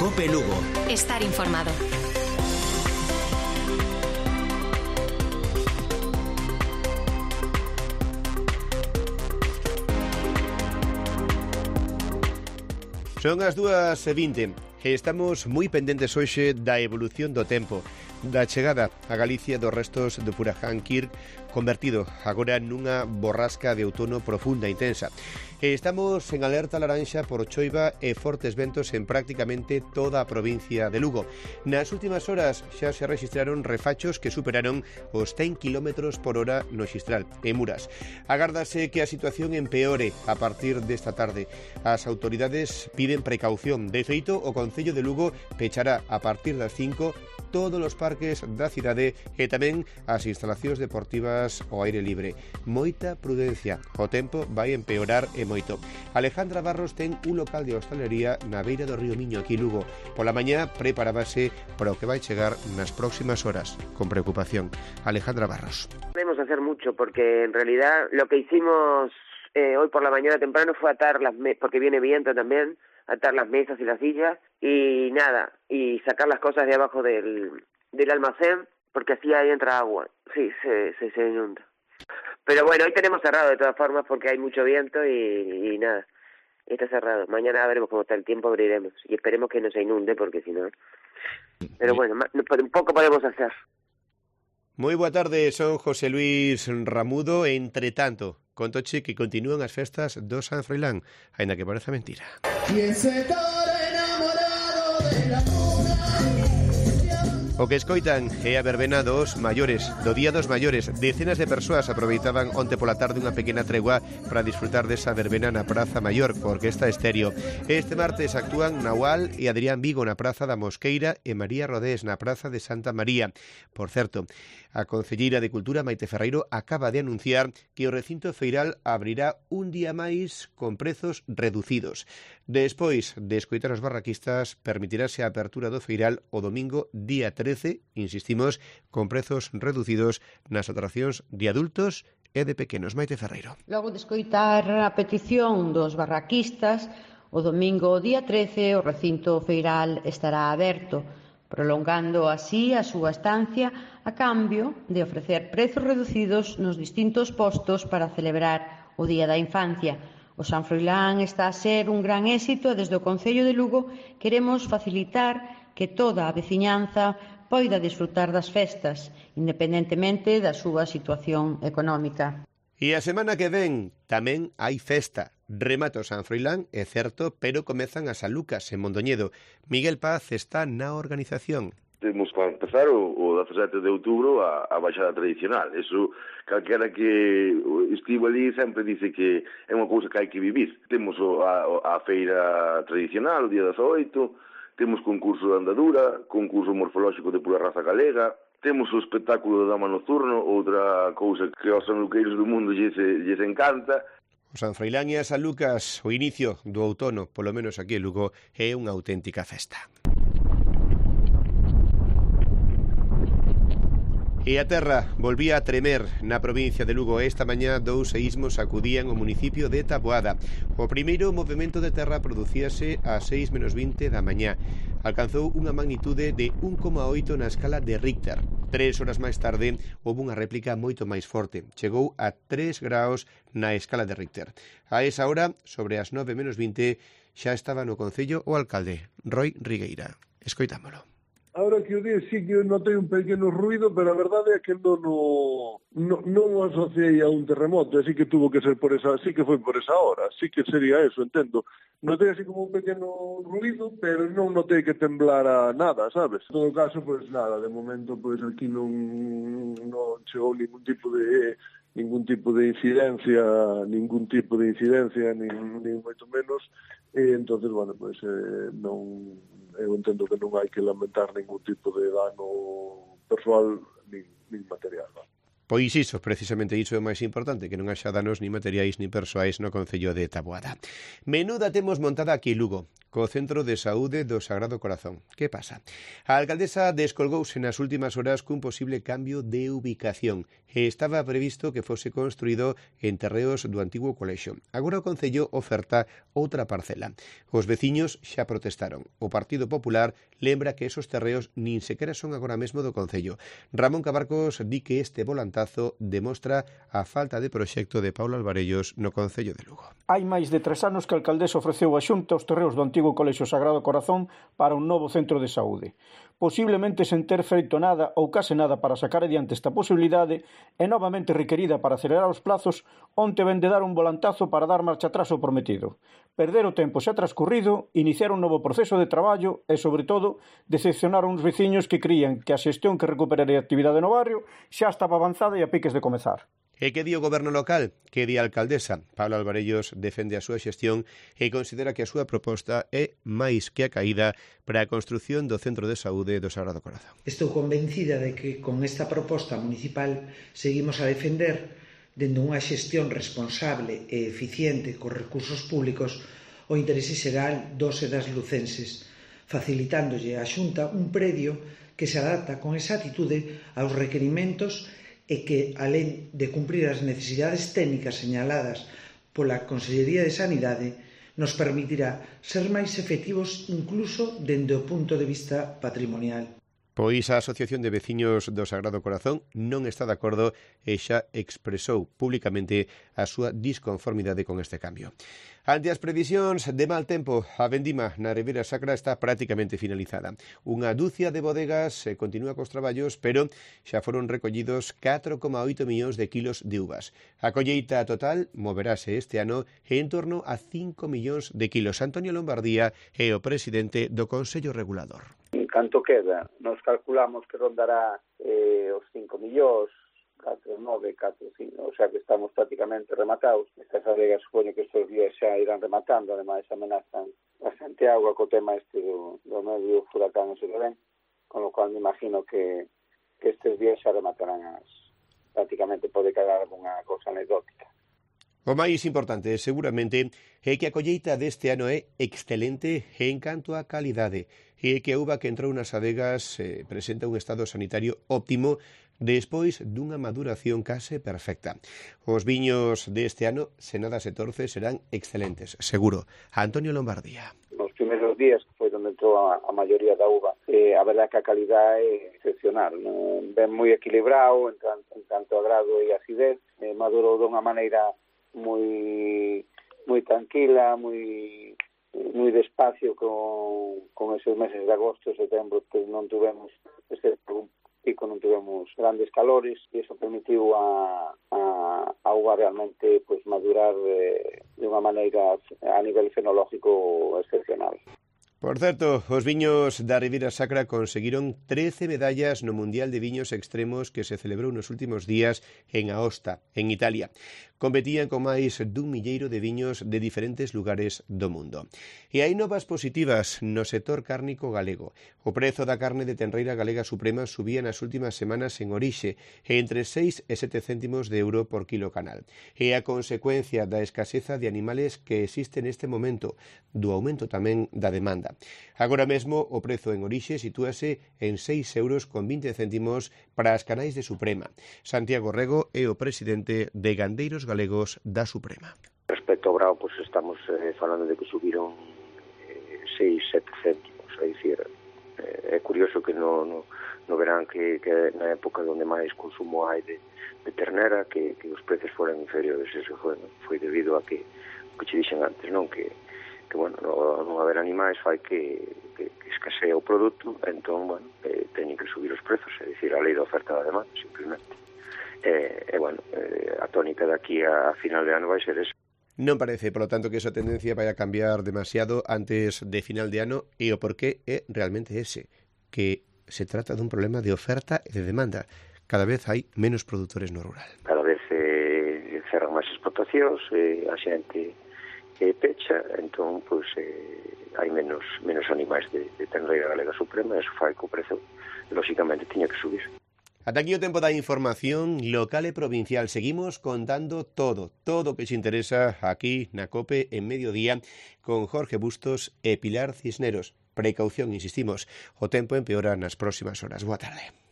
COPE Lugo. Estar informado. Son as 2:20 e estamos moi pendentes hoxe da evolución do tempo, da chegada a Galicia dos restos do furacán Kirk, convertido agora nunha borrasca de outono profunda e intensa. Estamos en alerta laranxa por choiva e fortes ventos en prácticamente toda a provincia de Lugo. Nas últimas horas xa se registraron refachos que superaron os 100 km por hora no Xistral, en Muras. Agárdase que a situación empeore a partir desta tarde. As autoridades piden precaución. De feito, o Concello de Lugo pechará a partir das 5 todos os parques da cidade e tamén as instalacións deportivas ao aire libre. Moita prudencia. O tempo vai empeorar e moito. Alejandra Barros ten un local de hostalería na beira do río Miño, aquí Lugo. Pola mañá preparábase para o que vai chegar nas próximas horas, con preocupación. Alejandra Barros. Podemos hacer mucho porque en realidad lo que hicimos hoy por la mañana temprano fue atar porque viene viento también, atar las mesas y las sillas y nada, y sacar las cosas de abajo del almacén porque así ahí entra agua. Sí, se inunda. Pero bueno, hoy tenemos cerrado de todas formas porque hay mucho viento y nada, está cerrado. Mañana veremos cómo está el tiempo, abriremos y esperemos que no se inunde porque si no... Pero bueno, un poco podemos hacer. Moi boa tarde, son José Luis Ramudo. Entre tanto, contoche que continúan as festas do San Froilán, aínda que pareza mentira. O que escoitan é a verbena dos maiores, do Día dos Maiores. Decenas de persoas aproveitaban onte pola tarde unha pequena tregua para disfrutar desa verbena na Praza Maior, coa Orquesta Estéreo. Este martes actúan Nahual e Adrián Vigo na Praza da Mosqueira e María Rodés na Praza de Santa María. Por certo, a concelleira de Cultura, Maite Ferreiro, acaba de anunciar que o recinto feiral abrirá un día máis con prezos reducidos. Despois de escoitar os barraquistas, permitirase a apertura do feiral o domingo día 13, insistimos, con prezos reducidos nas atraccións de adultos e de pequenos. Maite Ferreiro. Logo de escoitar a petición dos barraquistas, o domingo día 13 o recinto feiral estará aberto, prolongando así a súa estancia a cambio de ofrecer prezos reducidos nos distintos postos para celebrar o Día da Infancia. O San Froilán está a ser un gran éxito e desde o Concello de Lugo queremos facilitar que toda a veciñanza poida disfrutar das festas, independentemente da súa situación económica. E a semana que ven tamén hai festa. Remata o San Froilán, é certo, pero comezan as Alucas en Mondoñedo. Miguel Paz está na organización. Temos para empezar o 17 de outubro a baixada tradicional. Eso, calquera que estivo ali sempre dice que é unha cousa que hai que vivir. Temos a feira tradicional, o día 18, temos concurso de andadura, concurso morfolóxico de pura raza galega, temos o espectáculo de dama nocturno, outra cousa que aos sanluqueiros do mundo lles encanta. O San Froilán e as Alucas, o inicio do outono, polo menos aquí en Lugo, é unha auténtica festa. E a terra volvía a tremer na provincia de Lugo. Esta mañá 2 seísmos sacudían o municipio de Taboada. O primeiro movimento de terra producíase a 6:20 da mañá. Alcanzou unha magnitude de 1,8 na escala de Richter. 3 horas máis tarde houve unha réplica moito máis forte. Chegou a 3 graus na escala de Richter. A esa hora, sobre as 9:20, xa estaba no Concello o alcalde, Roy Rigueira. Escoitámolo. Ahora que o día sí que notei un pequeno ruido, pero a verdade é que non o asociei a un terremoto, así que tuvo que ser por esa, sí que foi por esa hora, sí que sería eso, entendo. Notei así como un pequeno ruido, pero non notei que temblara nada, sabes? En todo caso, pois nada, de momento pois aquí non chegou ningún tipo de incidencia, nin moito menos, e entonces, bueno, pois non... Eu entendo que non hai que lamentar ningún tipo de dano persoal nin material. Non? Pois iso, precisamente iso é o máis importante, que non haxa danos ni materiais ni persoais no Concello de Taboada. Menuda temos montada aquí en Lugo. co Centro de Saúde do Sagrado Corazón. Que pasa? A alcaldesa descolgouse nas últimas horas cun posible cambio de ubicación e estaba previsto que fose construído en terreos do antigo colexio. Agora o Concello oferta outra parcela. Os veciños xa protestaron. O Partido Popular lembra que esos terreos nin sequera son agora mesmo do Concello. Ramón Cabarcos di que este volantazo demostra a falta de proxecto de Paulo Alvarellos no Concello de Lugo. Hai máis de 3 anos que a alcaldesa ofreceu a Xunta os terreos do antigo Colexio Sagrado Corazón para un novo centro de saúde. Posiblemente sen ter feito nada ou case nada para sacar adiante esta posibilidade e novamente requerida para acelerar os plazos, onte ven de dar un volantazo para dar marcha atrás ao prometido. Perder o tempo xa transcurrido, iniciar un novo proceso de traballo e, sobre todo, decepcionar a uns veciños que crían que a xestión que recuperaría a actividade no barrio xa estaba avanzada e a piques de comezar. E que di o goberno local? Que di a alcaldesa? Pablo Alvarellos defende a súa xestión e considera que a súa proposta é máis que a caída para a construción do Centro de Saúde do Sagrado Corazón. Estou convencida de que con esta proposta municipal seguimos a defender, dende unha xestión responsable e eficiente cos recursos públicos, o interese xeral dos e das lucenses, facilitándolle á Xunta un predio que se adapta con exactitude aos requerimentos e que, alén de cumprir as necesidades técnicas señaladas pola Consellería de Sanidade, nos permitirá ser máis efectivos incluso dende o punto de vista patrimonial. Pois a Asociación de Veciños do Sagrado Corazón non está de acordo e xa expresou públicamente a súa disconformidade con este cambio. Ante as previsións de mal tempo, a vendima na Ribeira Sacra está prácticamente finalizada. Unha dúcia de bodegas continúa cos traballos, pero xa foron recollidos 4,8 millóns de kilos de uvas. A colleita total moverase este ano en torno a 5 millóns de kilos. Antonio Lombardía é o presidente do Consello Regulador. Canto queda? Nos calculamos que rondará os 5 millóns, 4, 9, 4, 5, o sea que estamos prácticamente rematados. Estas adegas supoño que estes días xa irán rematando, ademais amenazan bastante agua co tema este do medio furacán ese que ven, con lo cual me imagino que estes días xa rematarán prácticamente pode quedar alguna cosa anecdótica. O máis importante, seguramente, é que a colleita deste ano é excelente en canto á calidade e que a uva que entrou nas adegas presenta un estado sanitario óptimo despois dunha maduración case perfecta. Os viños deste ano, se nada se torce, serán excelentes, seguro. Antonio Lombardía. Nos primeiros días, que foi onde entrou a maioría da uva, a verdad que a calidad é excepcional, ben moi equilibrado en tanto a grado e acidez, madurou dunha maneira moi tranquila, moi despacio con esos meses de agosto e setembro que non tuvemos un pico, non tuvemos grandes calores e iso permitiu a uva realmente pues madurar de unha maneira a nivel fenológico excepcional. Por certo, os viños da Ribeira Sacra conseguiron 13 medallas no Mundial de Viños Extremos que se celebrou nos últimos días en Aosta, en Italia. Competían con máis dun milleiro de viños de diferentes lugares do mundo. E hai novas positivas no sector cárnico galego. O prezo da carne de tenreira galega suprema subía nas últimas semanas en orixe entre 6 e 7 céntimos de euro por kilo canal. E a consecuencia da escaseza de animales que existe neste momento, do aumento tamén da demanda. Agora mesmo o prezo en orixe sitúase en 6,20 euros para as canais de Suprema. Santiago Rego é o presidente de Gandeiros Galegos da Suprema. Respecto ao brao, pues estamos falando de que subiron 6-7 céntimos, é dicir, é curioso que no verán que na época onde máis consumo hai de ternera que os precios foran inferiores. Eso foi debido a que che dixen antes, non? Que bueno, non haber animais fai que escasea o produto, entón, bueno, teñen que subir os prezos, é dicir, a lei da oferta da demanda, simplemente. Bueno, a tónica daqui a final de ano vai ser esa. Non parece, polo tanto, que esa tendencia vai a cambiar demasiado antes de final de ano e o porqué é realmente ese, que se trata dun problema de oferta e de demanda. Cada vez hai menos produtores no rural. Cada vez cerran máis explotacións, a xente pecha, entón, pois, hai menos animais de tenreira galega suprema, e iso fai que o prezo, lóxicamente, tiña que subir. Ata aquí o tempo da información local e provincial. Seguimos contando todo o que se interesa aquí na COPE en Mediodía con Jorge Bustos e Pilar Cisneros. Precaución, insistimos, o tempo empeora nas próximas horas. Boa tarde.